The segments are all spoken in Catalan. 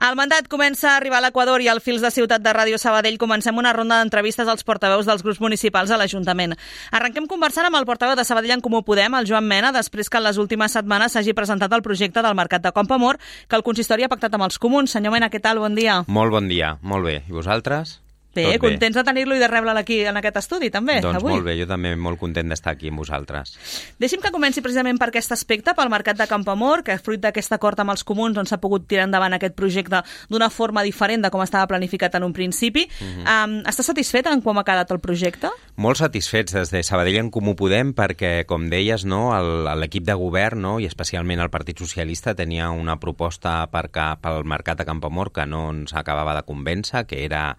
El mandat comença a arribar a l'Equador i al Fils de Ciutat de Ràdio Sabadell comencem una ronda d'entrevistes als portaveus dels grups municipals a l'Ajuntament. Arrenquem conversant amb el portaveu de Sabadell en Comú Podem, el Joan Mena, després que en les últimes setmanes s'hagi presentat el projecte del Mercat de Campoamor que el consistori ha pactat amb els comuns. Senyor Mena, què tal? Bon dia. Molt bon dia, molt bé. I vosaltres? Bé, contents de tenir-lo i de rebre'l aquí en aquest estudi, també, doncs avui. Molt bé, jo també molt content d'estar aquí amb vosaltres. Deixi'm que comenci precisament per aquest aspecte, pel Mercat de Campoamor, que fruit d'aquest acord amb els comuns on s'ha pogut tirar endavant aquest projecte d'una forma diferent de com estava planificat en un principi. Està satisfet en com ha quedat el projecte? Molt satisfets des de Sabadell en Comú Podem perquè, com deies, l'equip de govern, i especialment el Partit Socialista, tenia una proposta pel Mercat de Campoamor que no ens acabava de convèncer, que era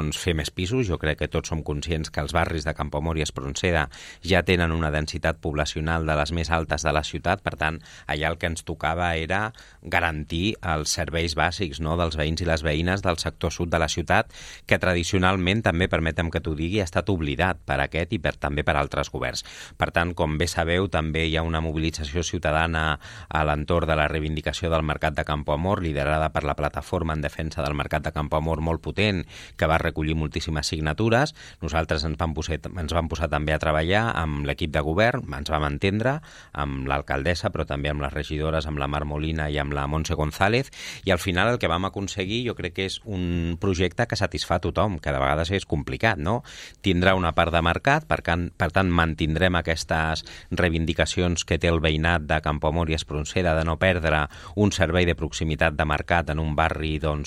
fer més pisos. Jo crec que tots som conscients que els barris de Campoamor i Espronceda ja tenen una densitat poblacional de les més altes de la ciutat, per tant, allà el que ens tocava era garantir els serveis bàsics dels veïns i les veïnes del sector sud de la ciutat, que tradicionalment, també permetem que t'ho digui, ha estat oblidat per aquest i també per altres governs. Per tant, com bé sabeu, també hi ha una mobilització ciutadana a l'entorn de la reivindicació del Mercat de Campoamor, liderada per la plataforma en defensa del Mercat de Campoamor molt potent, que va recollir moltíssimes signatures. Nosaltres ens vam posar també a treballar amb l'equip de govern, ens vam entendre amb l'alcaldessa, però també amb les regidores, amb la Mar Molina i amb la Montse González, i al final el que vam aconseguir jo crec que és un projecte que satisfà tothom, que de vegades és complicat, no? Tindrà una part de mercat, per tant mantindrem aquestes reivindicacions que té el veïnat de Campoamor i Espronceda de no perdre un servei de proximitat de mercat en un barri, en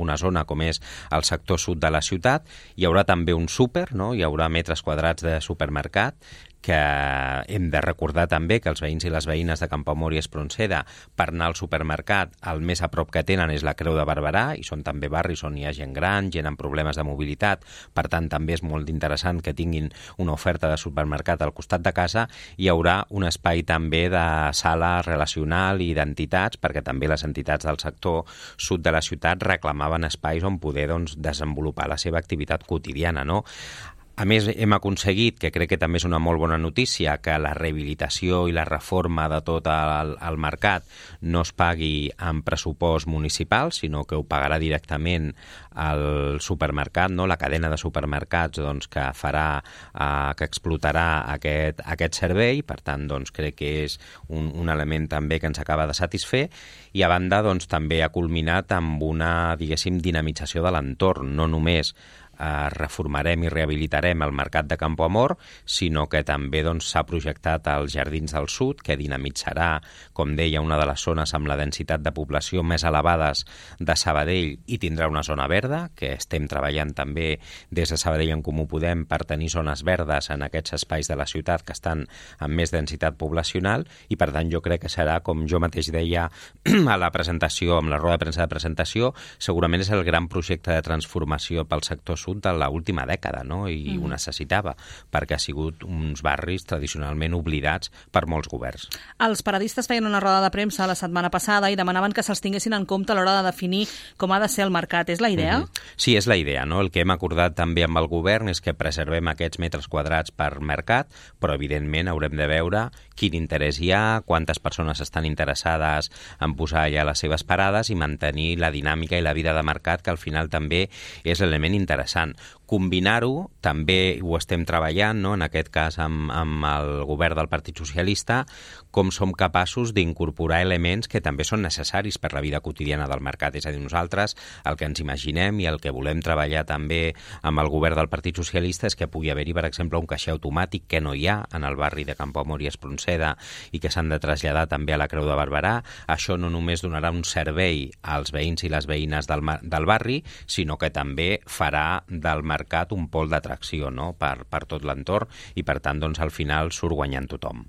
una zona com és el sector sud de la ciutat. Hi haurà també un súper, hi haurà metres quadrats de supermercat, que hem de recordar també que els veïns i les veïnes de Campoamor i Espronceda, per anar al supermercat, el més a prop que tenen és la Creu de Barberà, i són també barris on hi ha gent gran, gent amb problemes de mobilitat, per tant també és molt interessant que tinguin una oferta de supermercat al costat de casa. Hi haurà un espai també de sala relacional i d'entitats, perquè també les entitats del sector sud de la ciutat reclamaven espais on poder desenvolupar la seva activitat quotidiana, A més, hem aconseguit, que crec que també és una molt bona notícia, que la rehabilitació i la reforma de tot el mercat no es pagui amb pressupost municipal, sinó que ho pagarà directament el supermercat, la cadena de supermercats que explotarà aquest servei. Per tant, crec que és un element també que ens acaba de satisfer, i a banda també ha culminat amb una, dinamització de l'entorn. No només reformarem i rehabilitarem el Mercat de Campoamor, sinó que també s'ha projectat als Jardins del Sud, que dinamitzarà, com deia, una de les zones amb la densitat de població més elevades de Sabadell, i tindrà una zona verda, que estem treballant també des de Sabadell en Comú Podem per tenir zones verdes en aquests espais de la ciutat que estan amb més densitat poblacional, i per tant jo crec que serà, com jo mateix deia a la presentació, amb la roda de premsa de presentació, segurament és el gran projecte de transformació pel sector sud de l'última dècada, i ho necessitava, perquè ha sigut uns barris tradicionalment oblidats per molts governs. Els paradistes feien una roda de premsa la setmana passada i demanaven que se'ls tinguessin en compte a l'hora de definir com ha de ser el mercat. És la idea? Sí, és la idea. El que hem acordat també amb el govern és que preservem aquests metres quadrats per mercat, però evidentment haurem de veure quin interès hi ha, quantes persones estan interessades en posar allà les seves parades i mantenir la dinàmica i la vida de mercat, que al final també és l'element interessant. Combinar-ho, també ho estem treballant, en aquest cas amb el govern del Partit Socialista, com som capaços d'incorporar elements que també són necessaris per la vida quotidiana del mercat. És a dir, nosaltres el que ens imaginem i el que volem treballar també amb el govern del Partit Socialista és que pugui haver-hi, per exemple, un caixer automàtic que no hi ha en el barri de Campoamor i Espronceda i que s'han de traslladar també a la Creu de Barberà. Això no només donarà un servei als veïns i les veïnes del barri, sinó que també farà del mercat un pol d'atracció per tot l'entorn, i per tant al final surt guanyant tothom.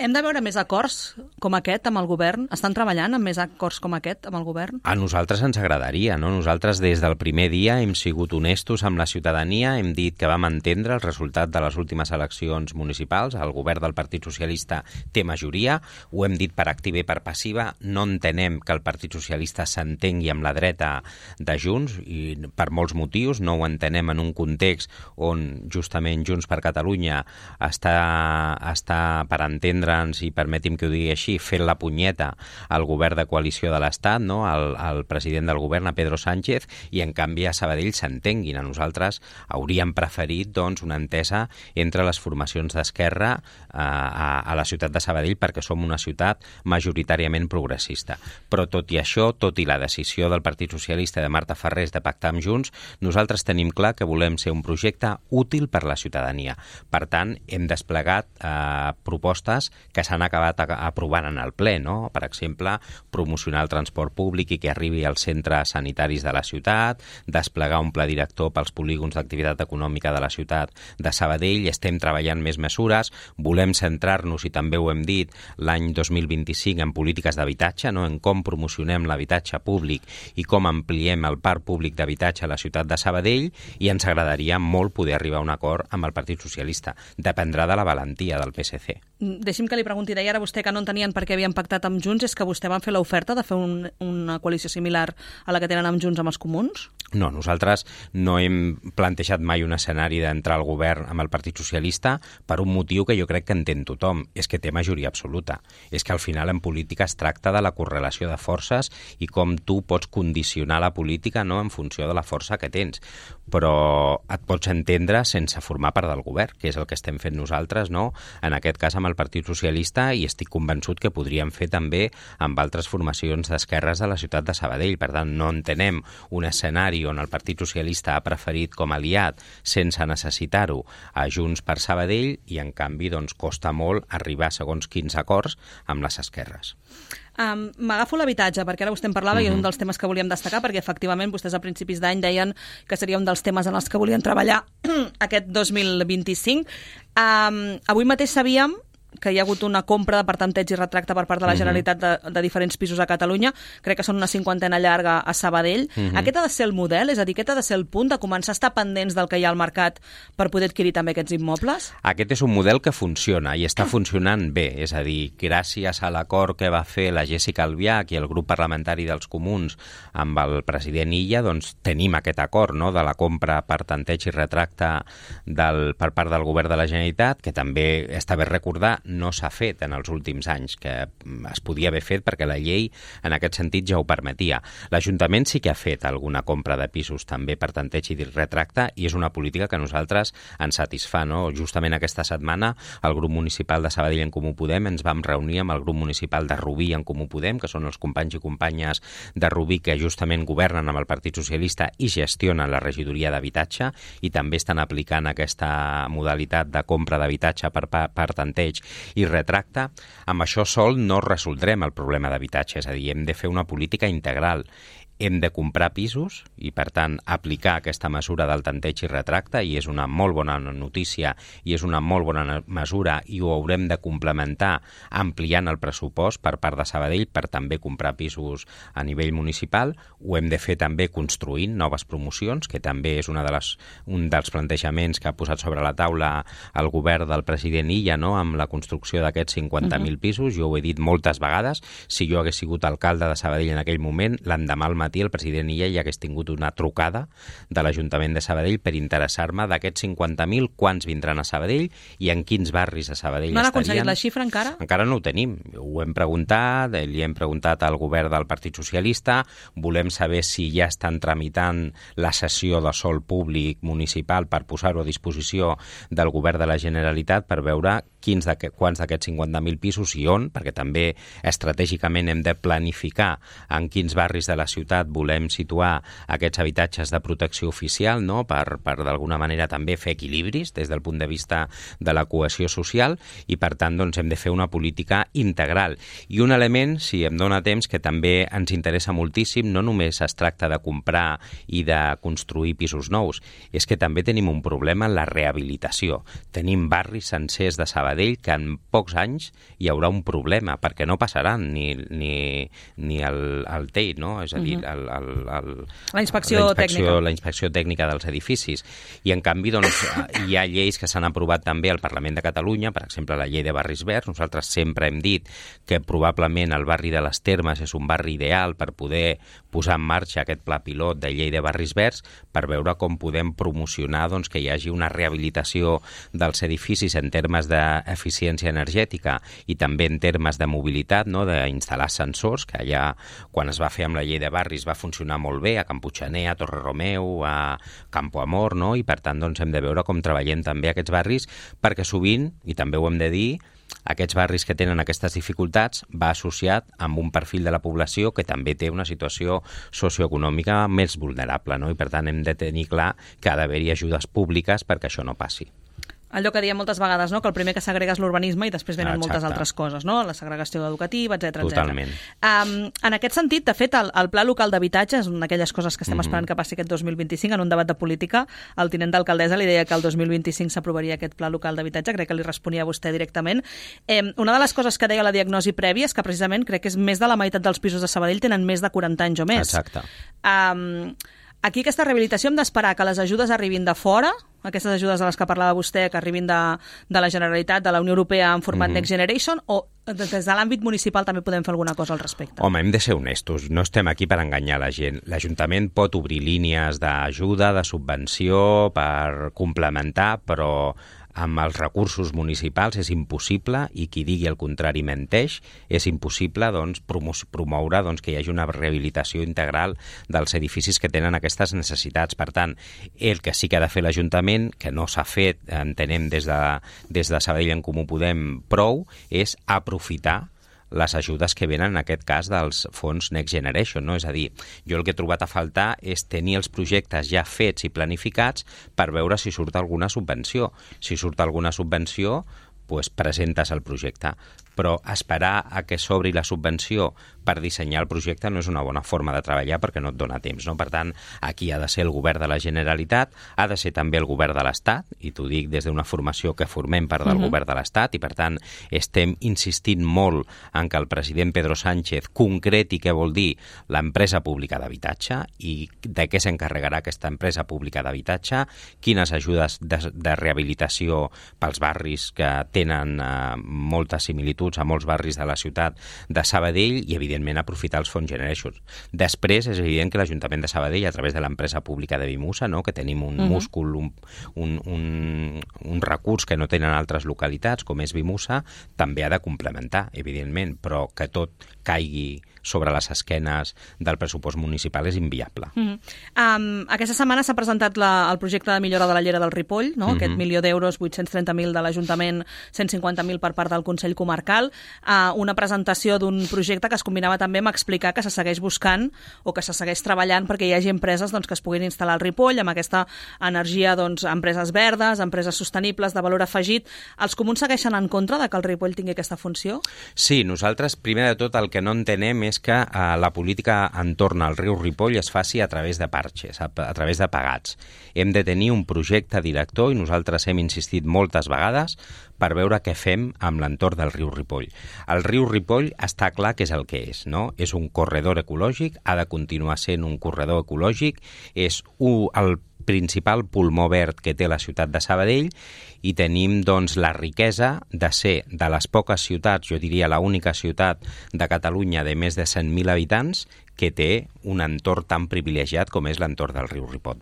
Hem de veure més acords com aquest amb el govern? Estan treballant amb més acords com aquest amb el govern? A nosaltres ens agradaria, Nosaltres des del primer dia hem sigut honestos amb la ciutadania, hem dit que vam entendre el resultat de les últimes eleccions municipals, el govern del Partit Socialista té majoria, ho hem dit per activa i per passiva, no entenem que el Partit Socialista s'entengui amb la dreta de Junts, i per molts motius, no ho entenem en un context on justament Junts per Catalunya està per entendre entendre'ns, i permeti'm que ho digui així, fent la punyeta al govern de coalició de l'Estat, no? al president del govern, a Pedro Sánchez, i en canvi a Sabadell s'entenguin. A nosaltres hauríem preferit doncs, una entesa entre les formacions d'esquerra a la ciutat de Sabadell, perquè som una ciutat majoritàriament progressista. Però tot i això, tot i la decisió del Partit Socialista de Marta Farrés de pactar amb Junts, nosaltres tenim clar que volem ser un projecte útil per la ciutadania. Per tant, hem desplegat propostes que s'han acabat aprovant en el ple, no? Per exemple, promocionar el transport públic i que arribi als centres sanitaris de la ciutat, desplegar un pla director pels polígons d'activitat econòmica de la ciutat de Sabadell, estem treballant més mesures, volem centrar-nos, i també ho hem dit, l'any 2025 en polítiques d'habitatge, no? En com promocionem l'habitatge públic i com ampliem el parc públic d'habitatge a la ciutat de Sabadell, i ens agradaria molt poder arribar a un acord amb el Partit Socialista. Dependrà de la valentia del PSC. Deixi'm que li pregunti, deia ara vostè que no entenien per què havien pactat amb Junts, és que vostè van fer l'oferta de fer una coalició similar a la que tenen amb Junts amb els comuns? No, nosaltres no hem plantejat mai un escenari d'entrar al govern amb el Partit Socialista per un motiu que jo crec que entén tothom, és que té majoria absoluta. És que al final en política es tracta de la correlació de forces i com tu pots condicionar la política, no?, en funció de la força que tens. Però et pots entendre sense formar part del govern, que és el que estem fent nosaltres, no?, en aquest cas amb el Partit Socialista, i estic convençut que podríem fer també amb altres formacions d'esquerres de la ciutat de Sabadell. Per tant, no entenem un escenari on el Partit Socialista ha preferit com a aliat, sense necessitar-ho, a Junts per Sabadell, i en canvi doncs, costa molt arribar a segons quins acords amb les esquerres. M'agafo l'habitatge, perquè ara vostè en parlava i és un dels temes que volíem destacar, perquè efectivament vostès a principis d'any deien que seria un dels temes en els que volien treballar aquest 2025. Avui mateix sabíem que hi ha hagut una compra de per tanteig i retracte per part de la Generalitat de diferents pisos a Catalunya. Crec que són una 50 llarga a Sabadell. Aquest ha de ser el model? És a dir, aquest ha de ser el punt de començar a estar pendents del que hi ha al mercat per poder adquirir també aquests immobles? Aquest és un model que funciona i està funcionant bé. És a dir, gràcies a l'acord que va fer la Jéssica Albiach i el grup parlamentari dels Comuns amb el president Illa, doncs tenim aquest acord, no?, de la compra per tanteig i retracte per part del govern de la Generalitat, que també està bé recordar no s'ha fet en els últims anys, que es podia haver fet perquè la llei en aquest sentit ja ho permetia. L'Ajuntament sí que ha fet alguna compra de pisos també per tanteig i retracte, i és una política que a nosaltres ens satisfà, no? Justament aquesta setmana el grup municipal de Sabadell en Comú Podem ens vam reunir amb el grup municipal de Rubí en Comú Podem, que són els companys i companyes de Rubí que justament governen amb el Partit Socialista i gestionen la regidoria d'habitatge, i també estan aplicant aquesta modalitat de compra d'habitatge per tanteig i retracte. Amb això sol no resoldrem el problema d'habitatge, és a dir, hem de fer una política integral. Hem de comprar pisos i, per tant, aplicar aquesta mesura del tanteig i retracte, i és una molt bona notícia i és una molt bona mesura, i ho haurem de complementar ampliant el pressupost per part de Sabadell per també comprar pisos a nivell municipal. Ho hem de fer també construint noves promocions, que també és un dels plantejaments que ha posat sobre la taula el govern del president Illa, no?, amb la construcció d'aquests 50.000 pisos. Jo ho he dit moltes vegades, si jo hagués sigut alcalde de Sabadell en aquell moment, l'endemà al matí el president Illa ja hagués tingut una trucada de l'Ajuntament de Sabadell per interessar-me d'aquests 50.000 quants vindran a Sabadell i en quins barris a Sabadell estarien. No han aconseguit la xifra encara? Encara no ho tenim. Ho hem preguntat, li hem preguntat al govern del Partit Socialista, volem saber si ja estan tramitant la cessió de sòl públic municipal per posar-ho a disposició del govern de la Generalitat per veure quants d'aquests 50.000 pisos i on, perquè també estratègicament hem de planificar en quins barris de la ciutat volem situar aquests habitatges de protecció oficial, no?, per d'alguna manera també fer equilibris des del punt de vista de la cohesió social, i per tant doncs, hem de fer una política integral. I un element, si em dóna temps, que també ens interessa moltíssim, no només es tracta de comprar i de construir pisos nous, és que també tenim un problema en la rehabilitació. Tenim barris sencers de Sabadell que en pocs anys hi haurà un problema, perquè no passaran ni el TEI, no? És a dir, la inspecció tècnica dels edificis. I, en canvi, doncs, hi ha lleis que s'han aprovat també al Parlament de Catalunya, per exemple, la llei de barris verds. Nosaltres sempre hem dit que probablement el barri de les Termes és un barri ideal per poder posar en marxa aquest pla pilot de llei de barris verds, per veure com podem promocionar doncs, que hi hagi una rehabilitació dels edificis en termes d'eficiència energètica i també en termes de mobilitat, no? D'instal·lar ascensors, que allà, quan es va fer amb la llei de barris, va funcionar molt bé, a Can Puiggener, a Torre Romeu, a Campo Amor, no? I per tant doncs, hem de veure com treballem també aquests barris, perquè sovint, i també ho hem de dir, aquests barris que tenen aquestes dificultats va associat amb un perfil de la població que també té una situació socioeconòmica més vulnerable, no? I per tant hem de tenir clar que ha d'haver-hi ajudes públiques perquè això no passi. Allò que diem moltes vegades, no? Que el primer que s'agrega és l'urbanisme i després venen moltes altres coses, no? La segregació educativa, etc. Totalment. En aquest sentit, de fet, el Pla Local d'Habitatge és una d'aquelles coses que estem esperant que passi aquest 2025. En un debat de política, el tinent d'alcaldessa li deia que el 2025 s'aprovaria aquest Pla Local d'Habitatge, crec que li responia a vostè directament. Una de les coses que deia la diagnosi prèvia és que precisament crec que és més de la meitat dels pisos de Sabadell tenen més de 40 anys o més. Exacte. Aquí aquesta rehabilitació hem d'esperar que les ajudes arribin de fora, aquestes ajudes de les que parlava vostè, que arribin de la Generalitat, de la Unió Europea en format Next Generation, o des de l'àmbit municipal també podem fer alguna cosa al respecte? Home, hem de ser honestos, no estem aquí per enganyar la gent. L'Ajuntament pot obrir línies d'ajuda, de subvenció, per complementar, però amb els recursos municipals és impossible, i qui digui el contrari menteix, és impossible doncs, promoure doncs, que hi hagi una rehabilitació integral dels edificis que tenen aquestes necessitats. Per tant, el que sí que ha de fer l'Ajuntament, que no s'ha fet, entenem des de Sabadell en Comú Podem prou, és aprofitar les ajudes que venen, en aquest cas, dels fons Next Generation, no? És a dir, jo el que he trobat a faltar és tenir els projectes ja fets i planificats per veure si surt alguna subvenció. Si surt alguna subvenció, doncs presentes el projecte. Però esperar a que s'obri la subvenció per dissenyar el projecte no és una bona forma de treballar perquè no et dona temps, no? Per tant, aquí ha de ser el govern de la Generalitat, ha de ser també el govern de l'Estat, i t'ho dic des d'una formació que formem part del govern de l'Estat, i per tant estem insistint molt en que el president Pedro Sánchez concreti què vol dir l'empresa pública d'habitatge i de què s'encarregarà aquesta empresa pública d'habitatge, quines ajudes de rehabilitació pels barris que tenen moltes similituds a molts barris de la ciutat de Sabadell, i evidentment aprofitar els fons Generation. Després és evident que l'Ajuntament de Sabadell, a través de l'empresa pública de Vimusa, no? Que tenim un múscul, un recurs que no tenen altres localitats, com és Vimusa, també ha de complementar, evidentment, però que tot caigui sobre les esquenes del pressupost municipal és inviable. Aquesta setmana s'ha presentat el projecte de millora de la llera del Ripoll, no? Aquest 1.000.000 d'euros, 830.000 de l'Ajuntament, 150.000 per part del Consell Comarcal, una presentació d'un projecte que es combinava també amb explicar que se segueix buscant o que se segueix treballant perquè hi hagi empreses doncs, que es puguin instal·lar al Ripoll amb aquesta energia, doncs, empreses verdes, empreses sostenibles, de valor afegit. Els comuns segueixen en contra de que el Ripoll tingui aquesta funció? Sí, nosaltres, primer de tot, el que no entenem és que la política entorn al riu Ripoll es faci a través de parxes, a través de pagats. Hem de tenir un projecte director i nosaltres hem insistit moltes vegades per veure què fem amb l'entorn del riu Ripoll. El riu Ripoll està clar que és el que és, no? És un corredor ecològic, ha de continuar sent un corredor ecològic, és el principal pulmó verd que té la ciutat de Sabadell, i tenim doncs la riquesa de ser de les poques ciutats, jo diria l'única ciutat de Catalunya de més de 100.000 habitants que té un entorn tan privilegiat com és l'entorn del riu Ripoll.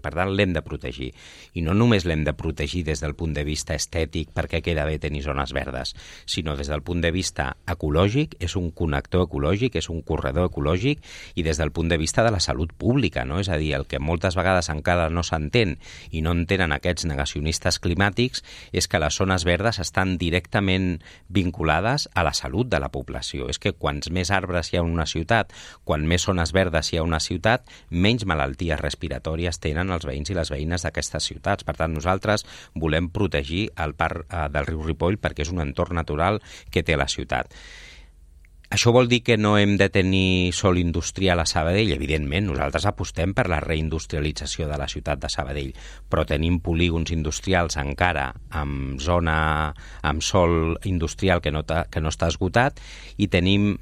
Per tant, l'hem de protegir. I no només l'hem de protegir des del punt de vista estètic perquè queda bé tenir zones verdes, sinó des del punt de vista ecològic, és un connector ecològic, és un corredor ecològic, i des del punt de vista de la salut pública, no? És a dir, el que moltes vegades encara no s'entén i no entenen aquests negacionistes climàtics és que les zones verdes estan directament vinculades a la salut de la població. És que quants més arbres hi ha en una ciutat, quan més zones verdes hi ha una ciutat, menys malalties respiratòries tenen els veïns i les veïnes d'aquestes ciutats. Per tant, nosaltres volem protegir el parc del riu Ripoll perquè és un entorn natural que té la ciutat. Això vol dir que no hem de tenir sol industrial a Sabadell? Evidentment, nosaltres apostem per la reindustrialització de la ciutat de Sabadell, però tenim polígons industrials encara amb sol industrial que no està esgotat, i tenim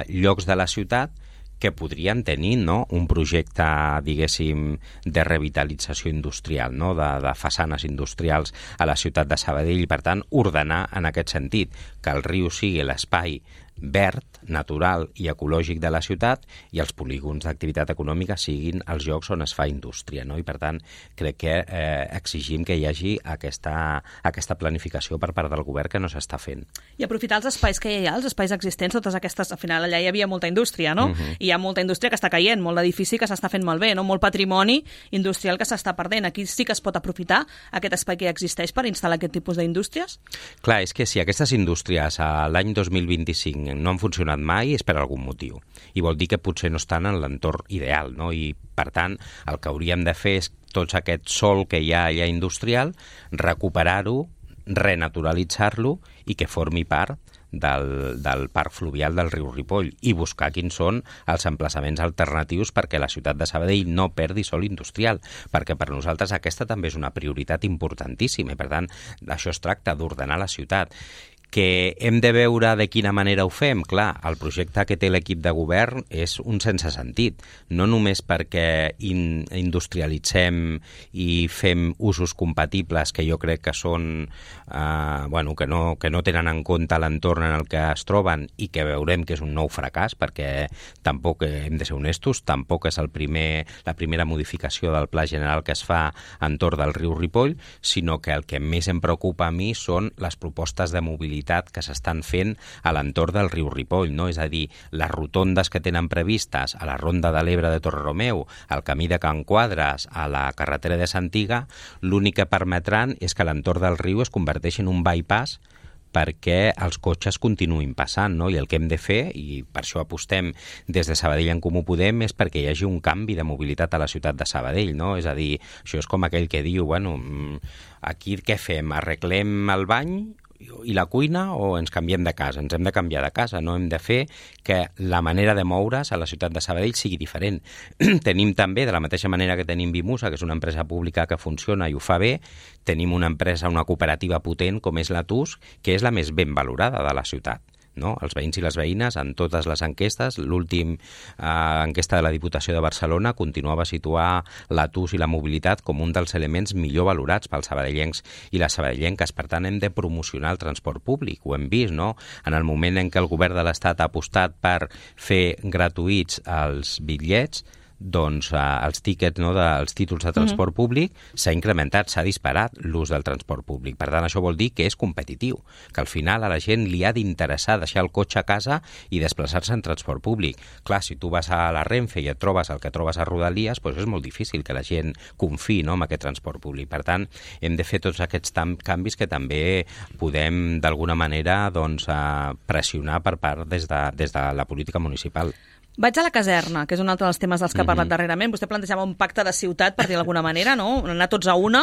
llocs de la ciutat que podrien tenir, no?, un projecte, diguéssim, de revitalització industrial, no?, de façanes industrials a la ciutat de Sabadell i, per tant, ordenar en aquest sentit que el riu sigui l'espai verd, natural i ecològic de la ciutat i els polígons d'activitat econòmica siguin els llocs on es fa indústria, no? I per tant crec que exigim que hi hagi aquesta planificació per part del govern que no s'està fent. I aprofitar els espais que hi ha, els espais existents, totes aquestes, al final allà hi havia molta indústria, no? I hi ha molta indústria que està caient, molt d'edifici que s'està fent malbé, no? Molt patrimoni industrial que s'està perdent. Aquí sí que es pot aprofitar aquest espai que ja existeix per instal·lar aquest tipus d'indústries? Clar, és que si aquestes indústries l'any 2025 no han funcionat mai és per algun motiu. I vol dir que potser no estan en l'entorn ideal, no? I, per tant, el que hauríem de fer és tot aquest sòl que hi ha allà industrial, recuperar-ho, renaturalitzar-lo i que formi part del parc fluvial del riu Ripoll i buscar quins són els emplaçaments alternatius perquè la ciutat de Sabadell no perdi sòl industrial, perquè per nosaltres aquesta també és una prioritat importantíssima i, per tant, d'això es tracta, d'ordenar la ciutat. Que hem de veure de quina manera ho fem? Clar, el projecte que té l'equip de govern és un sense sentit, no només perquè industrialitzem i fem usos compatibles que jo crec que són que no tenen en compte l'entorn en el que es troben i que veurem que és un nou fracàs, perquè tampoc, hem de ser honestos, tampoc és la primera modificació del Pla General que es fa entorn del riu Ripoll, sinó que el que més em preocupa a mi són les propostes de mobilitat que s'estan fent a l'entorn del riu Ripoll, no? És a dir, les rotondes que tenen previstes a la Ronda de l'Ebre de Torreromeu, al camí de Can Quadres, a la carretera de Santiga, l'únic que permetran és que l'entorn del riu es converteixi en un bypass perquè els cotxes continuïn passant, no? I el que hem de fer, i per això apostem des de Sabadell en Comú Podem, és perquè hi hagi un canvi de mobilitat a la ciutat de Sabadell, no? És a dir, això és com aquell que diu, aquí què fem? Arreglem el bany i la cuina o ens canviem de casa? Ens hem de canviar de casa, no? Hem de fer que la manera de moure's a la ciutat de Sabadell sigui diferent. Tenim també, de la mateixa manera que tenim Vimusa, que és una empresa pública que funciona i ho fa bé, tenim una empresa, una cooperativa potent com és la TUS, que és la més ben valorada de la ciutat. No? Els veïns i les veïnes, en totes les enquestes, l'últim enquesta de la Diputació de Barcelona continuava a situar la TUS i la mobilitat com un dels elements millor valorats pels sabadellencs i les sabadellenques. Per tant, hem de promocionar el transport públic. Ho hem vist, no? En el moment en què el govern de l'Estat ha apostat per fer gratuïts els bitllets, doncs els tíquets, no, dels títols de transport públic s'ha incrementat, s'ha disparat l'ús del transport públic. Per tant, això vol dir que és competitiu, que al final a la gent li ha d'interessar deixar el cotxe a casa i desplaçar-se en transport públic. Clar, si tu vas a la Renfe i et trobes el que trobes a Rodalies, doncs és molt difícil que la gent confiï, no, en aquest transport públic. Per tant, hem de fer tots aquests canvis que també podem d'alguna manera pressionar per part des de la política municipal. Vaig a la caserna, que és un altre dels temes dels que ha parlat darrerament. Vostè plantejava un pacte de ciutat, per dir d'alguna manera, no? Anar tots a una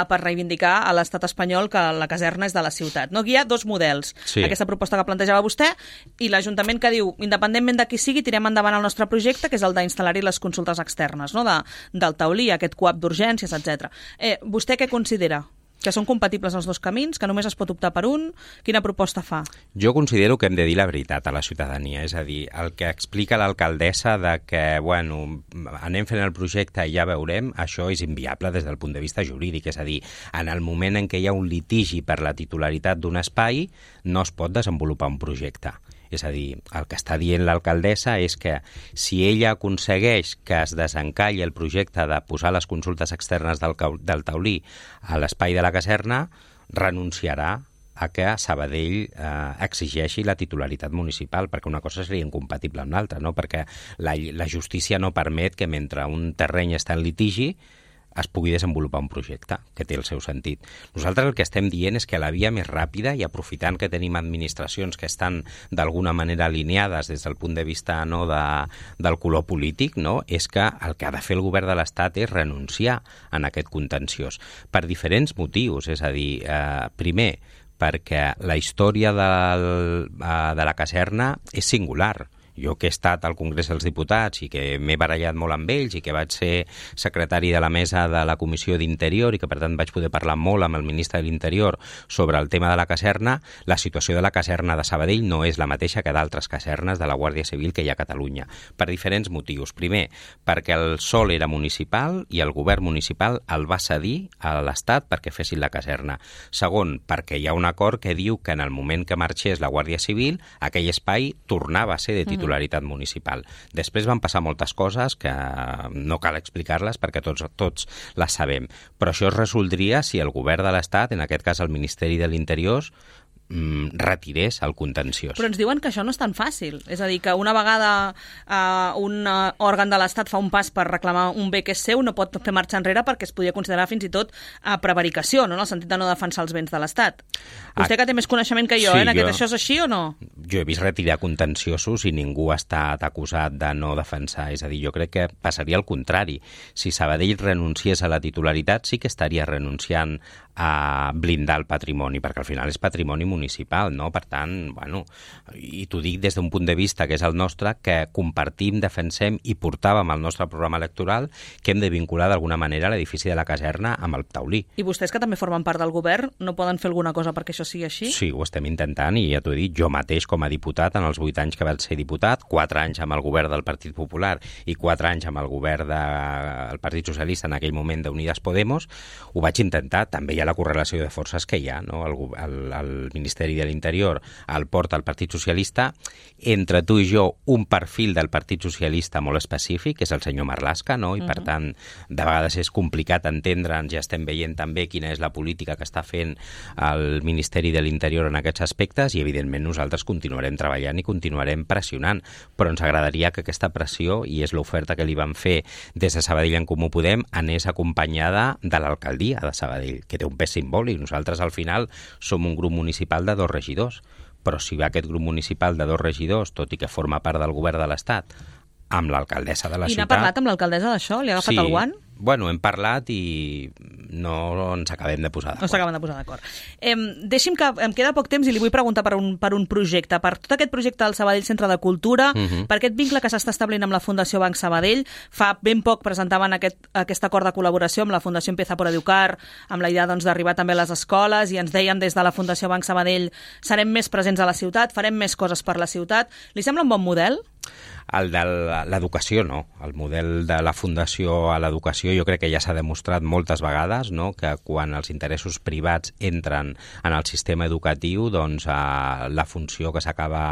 per reivindicar a l'estat espanyol que la caserna és de la ciutat. No? Aquí hi ha dos models. Sí. Aquesta proposta que plantejava vostè i l'Ajuntament que diu, independentment de qui sigui, tirem endavant el nostre projecte, que és el d'instal·lar-hi les consultes externes, no? Del taulí, aquest coap d'urgències, etc. Vostè què considera? Que són compatibles els dos camins, que només es pot optar per un? Quina proposta fa? Jo considero que hem de dir la veritat a la ciutadania, és a dir, el que explica l'alcaldessa de que, anem fent el projecte i ja veurem, això és inviable des del punt de vista jurídic, és a dir, en el moment en què hi ha un litigi per la titularitat d'un espai, no es pot desenvolupar un projecte. És a dir, el que està dient l'alcaldessa és que si ella aconsegueix que es desencalli el projecte de posar les consultes externes del taulí a l'espai de la caserna, renunciarà a que Sabadell exigeixi la titularitat municipal, perquè una cosa seria incompatible amb l'altra, no? Perquè la justícia no permet que mentre un terreny està en litigi es pugui desenvolupar un projecte, que té el seu sentit. Nosaltres el que estem dient és que la via més ràpida, i aprofitant que tenim administracions que estan d'alguna manera alineades des del punt de vista del color polític, no? És que el que ha de fer el govern de l'Estat és renunciar en aquest contenciós, per diferents motius. És a dir, primer, perquè la història de la caserna és singular. Jo que he estat al Congrés dels Diputats i que m'he barallat molt amb ells i que vaig ser secretari de la mesa de la Comissió d'Interior i que, per tant, vaig poder parlar molt amb el ministre de l'Interior sobre el tema de la caserna, la situació de la caserna de Sabadell no és la mateixa que d'altres casernes de la Guàrdia Civil que hi ha a Catalunya, per diferents motius. Primer, perquè el sòl era municipal i el govern municipal el va cedir a l'Estat perquè fessin la caserna. Segon, perquè hi ha un acord que diu que en el moment que marxés la Guàrdia Civil, aquell espai tornava a ser de titularitat municipal. Després van passar moltes coses que no cal explicar-les perquè tots les sabem. Però això es resoldria si el govern de l'Estat, en aquest cas el Ministeri de l'Interior, retirés el contenciós. Però ens diuen que això no és tan fàcil. És a dir, que una vegada un òrgan de l'Estat fa un pas per reclamar un bé que és seu, no pot fer marxa enrere perquè es podria considerar fins i tot prevaricació, no? En el sentit de no defensar els béns de l'Estat. Vostè que té més coneixement que jo, sí, això és així o no? Jo he vist retirar contenciosos i ningú ha estat acusat de no defensar. És a dir, jo crec que passaria al contrari. Si Sabadell renunciés a la titularitat, sí que estaria renunciant a blindar el patrimoni, perquè al final és patrimoni municipal, no? Per tant, bueno, i t'ho dic des d'un punt de vista que és el nostre, que compartim, defensem i portàvem al nostre programa electoral que hem de vincular d'alguna manera l'edifici de la caserna amb el taulí. I vostès, que també formen part del govern, no poden fer alguna cosa perquè això sigui així? Sí, ho estem intentant i ja t'ho he dit, jo mateix com a diputat, en els 8 anys que vaig ser diputat, 4 anys amb el govern del Partit Popular i 4 anys amb el govern del Partit Socialista, en aquell moment d'Unides Podemos, ho vaig intentar. També hi ha la correlació de forces que hi ha, no? El Ministeri de l'Interior el porta el Partit Socialista, entre tu i jo un perfil del Partit Socialista molt específic, que és el senyor Marlaska, no? I per tant, de vegades és complicat entendre'ns, ja estem veient també quina és la política que està fent el Ministeri de l'Interior en aquests aspectes i evidentment nosaltres continuarem treballant i continuarem pressionant, però ens agradaria que aquesta pressió, i és l'oferta que li van fer des de Sabadell en Comú Podem, anés acompanyada de l'alcaldia de Sabadell, que té un pes simbòlic. Nosaltres al final som un grup municipal de 2 regidors, però si va aquest grup municipal de 2 regidors, tot i que forma part del govern de l'Estat, amb l'alcaldessa de la ciutat... I n'ha parlat amb l'alcaldessa d'això? Li ha agafat el guant? Bueno, hem parlat i no ens acabem de posar d'acord. No s'acaben de posar d'acord. Deixi'm que em queda poc temps i li vull preguntar per un projecte. Per tot aquest projecte del Sabadell Centre de Cultura, per aquest vincle que s'està establint amb la Fundació Banc Sabadell, fa ben poc presentaven aquest acord de col·laboració amb la Fundació Empieza por Educar, amb la idea d'arribar també a les escoles, i ens deien des de la Fundació Banc Sabadell serem més presents a la ciutat, farem més coses per la ciutat. Li sembla un bon model? El de l'educació, no. El model de la Fundació a l'educació jo crec que ja s'ha demostrat moltes vegades, no?, que quan els interessos privats entren en el sistema educatiu, doncs la funció que s'acaba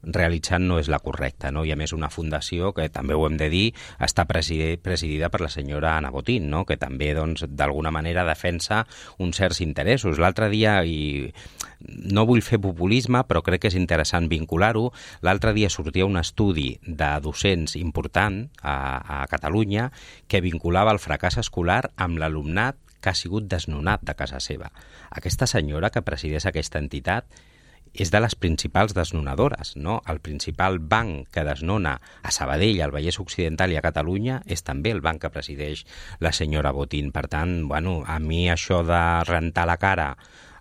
realitzant no és la correcta, no? I a més una fundació que, també ho hem de dir, està presidida per la senyora Ana Botín, no?, que també, doncs, d'alguna manera defensa uns certs interessos. L'altre dia, i no vull fer populisme, però crec que és interessant vincular-ho, l'altre dia sortia un estudi de docents important a Catalunya que vinculava el fracàs escolar amb l'alumnat que ha sigut desnonat de casa seva. Aquesta senyora que presideix aquesta entitat és de les principals desnonadores, no? El principal banc que desnona a Sabadell, al Vallès Occidental i a Catalunya és també el banc que presideix la senyora Botín. Per tant, bueno, a mi això de rentar la cara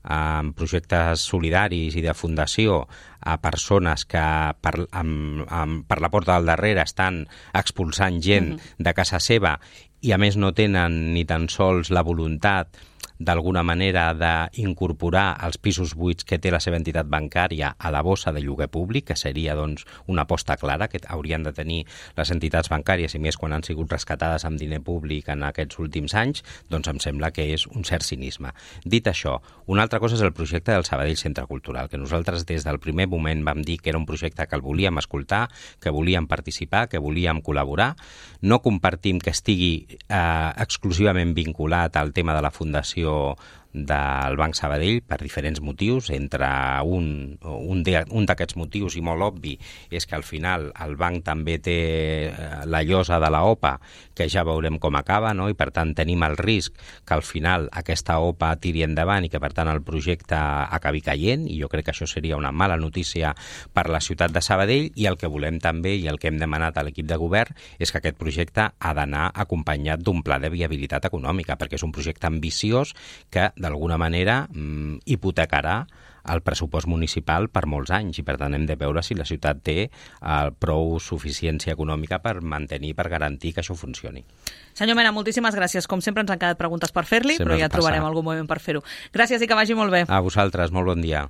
amb projectes solidaris i de fundació a persones que per la porta del darrere estan expulsant gent de casa seva i a més no tenen ni tan sols la voluntat d'alguna manera d'incorporar els pisos buits que té la seva entitat bancària a la bossa de lloguer públic, que seria doncs una aposta clara que haurien de tenir les entitats bancàries, i més quan han sigut rescatades amb diner públic en aquests últims anys, doncs em sembla que és un cert cinisme. Dit això, una altra cosa és el projecte del Sabadell Centre Cultural, que nosaltres des del primer moment vam dir que era un projecte que el volíem escoltar, que volíem participar, que volíem col·laborar. No compartim que estigui exclusivament vinculat al tema de la Fundació del Banc Sabadell per diferents motius. Entre un d'aquests motius, i molt obvi, és que al final el banc també té la llosa de la OPA, que ja veurem com acaba, no? I per tant tenim el risc que al final aquesta OPA tiri endavant i que per tant el projecte acabi caient, i jo crec que això seria una mala notícia per la ciutat de Sabadell. I el que volem també, i el que hem demanat a l'equip de govern, és que aquest projecte ha d'anar acompanyat d'un pla de viabilitat econòmica, perquè és un projecte ambiciós que d'alguna manera, hipotecarà el pressupost municipal per molts anys, i per tant hem de veure si la ciutat té prou suficiència econòmica per mantenir, per garantir que això funcioni. Senyor Mena, moltíssimes gràcies. Com sempre ens han quedat preguntes per fer-li, però ja trobarem algun moment per fer-ho. Gràcies i que vagi molt bé. A vosaltres, molt bon dia.